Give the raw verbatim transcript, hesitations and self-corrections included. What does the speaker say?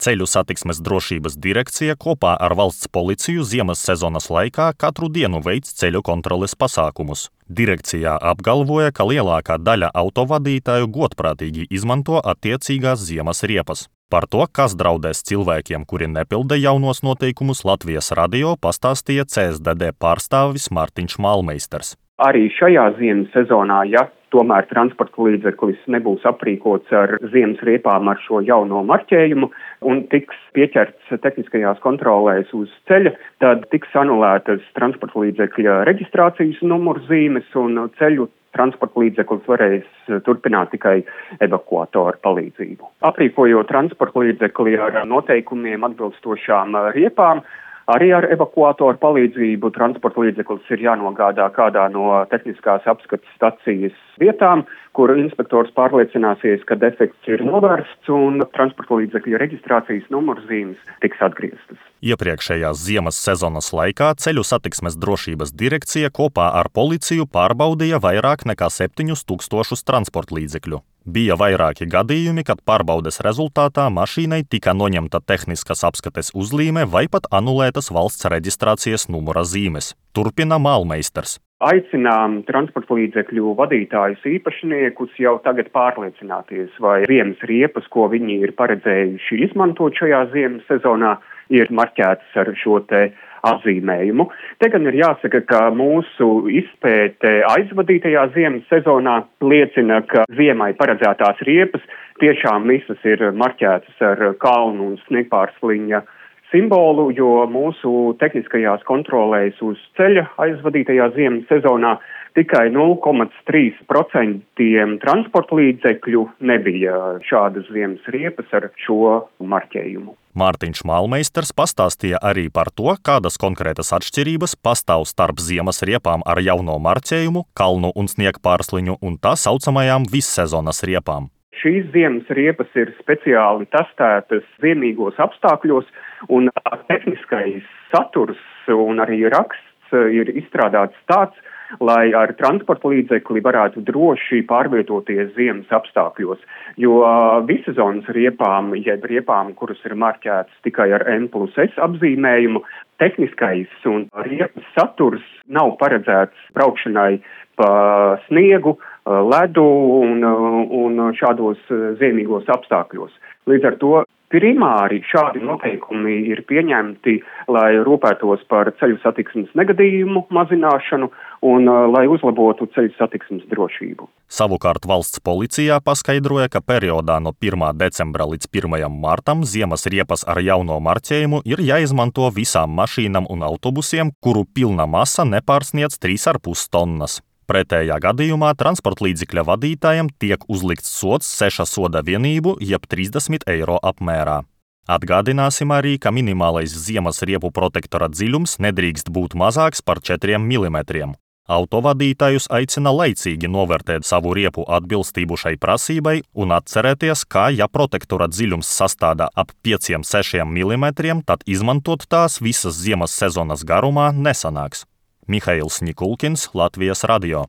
Ceļu satiksmes drošības direkcija kopā ar valsts policiju ziemas sezonas laikā katru dienu veic ceļu kontroles pasākumus. Direkcijā apgalvoja, ka lielākā daļa autovadītāju godprātīgi izmanto attiecīgās ziemas riepas. Par to, kas draudēs cilvēkiem, kuri nepilda jaunos noteikumus, Latvijas radio pastāstīja C S D D pārstāvis Mārtiņš Malmeisters. Arī šajā ziemas sezonā, ja tomēr transporta līdzeklis nebūs aprīkots ar ziemas riepām ar šo jauno marķējumu un tiks pieķerts tehniskajās kontrolēs uz ceļa, tad tiks anulētas transporta līdzekļa reģistrācijas numurzīmes un ceļu transporta līdzeklis varēs turpināt tikai evakuatoru palīdzību. Aprīkojot transporta līdzekli ar noteikumiem atbilstošām riepām, arī ar evakuatoru palīdzību transporta līdzeklis ir jānogādā kādā no tehniskās apskates stacijas vietām, kur inspektors pārliecināsies, ka defekts ir novērsts un transporta līdzekļa reģistrācijas numurzīmes tiks atgrieztas. Iepriekšējās ziemas sezonas laikā Ceļu satiksmes drošības direkcija kopā ar policiju pārbaudīja vairāk nekā septiņus tūkstošus transporta līdzekļu. Bija vairāki gadījumi, kad pārbaudes rezultātā mašīnai tika noņemta tehniskas apskates uzlīme vai pat anulētas valsts reģistrācijas numura zīmes. Turpina Malmeisters. Aicinām transporta līdzekļu vadītājus īpašniekus jau tagad pārliecināties, vai ziemas riepas, ko viņi ir paredzējuši izmantot šajā ziemas sezonā, ir marķētas ar šo te apzīmējumu. Te gan ir jāsaka, ka mūsu izpēte aizvadītajā ziemas sezonā liecina, ka ziemai paredzētās riepas tiešām visas ir marķētas ar kalnu un sniegpārsliņa simbolu, jo mūsu tehniskajās kontrolēs uz ceļa aizvadītajā ziemas sezonā tikai nulle komats trīs procenti transporta līdzekļu nebija šādas ziemas riepas ar šo marķējumu. Mārtiņš Malmeisters pastāstīja arī par to, kādas konkrētas atšķirības pastāv starp ziemas riepām ar jauno marķējumu, kalnu un sniegpārsliņu un tā saucamajām vissezonas riepām. Šīs ziemas riepas ir speciāli testētas ziemīgos apstākļos, un tehniskais saturs un arī raksts ir izstrādāts tāds, lai ar transporta līdzekli varētu droši pārvietoties ziemas apstākļos, jo vissezonas riepām, jeb riepām, kuras ir marķētas tikai ar N plus S apzīmējumu, tehniskais un riepas saturs nav paredzēts braukšanai pa sniegu, ledu un, un šādos ziemīgos apstākļos. Līdz ar to primāri šādi noteikumi ir pieņemti, lai rūpētos par ceļu satiksmes negadījumu mazināšanu un lai uzlabotu ceļu satiksmes drošību. Savukārt valsts policijā paskaidroja, ka periodā no pirmā decembra līdz pirmajam martam ziemas riepas ar jauno marķējumu ir jāizmanto visām mašīnām un autobusiem, kuru pilna masa nepārsniedz trīs ar pus tonnas. Pretējā gadījumā transporta līdzekļa vadītājiem tiek uzlikts sods seša soda vienību jeb trīsdesmit eiro apmērā. Atgādināsim arī, ka minimālais ziemas riepu protektora dziļums nedrīkst būt mazāks par četriem milimetriem. Autovadītājus aicina laicīgi novērtēt savu riepu atbilstību šai prasībai un atcerēties, ka, ja protektora dziļums sastāda ap pieciem līdz sešiem milimetriem, tad izmantot tās visas ziemas sezonas garumā nesanāks. Mihails Nikulkins, Latvijas radio.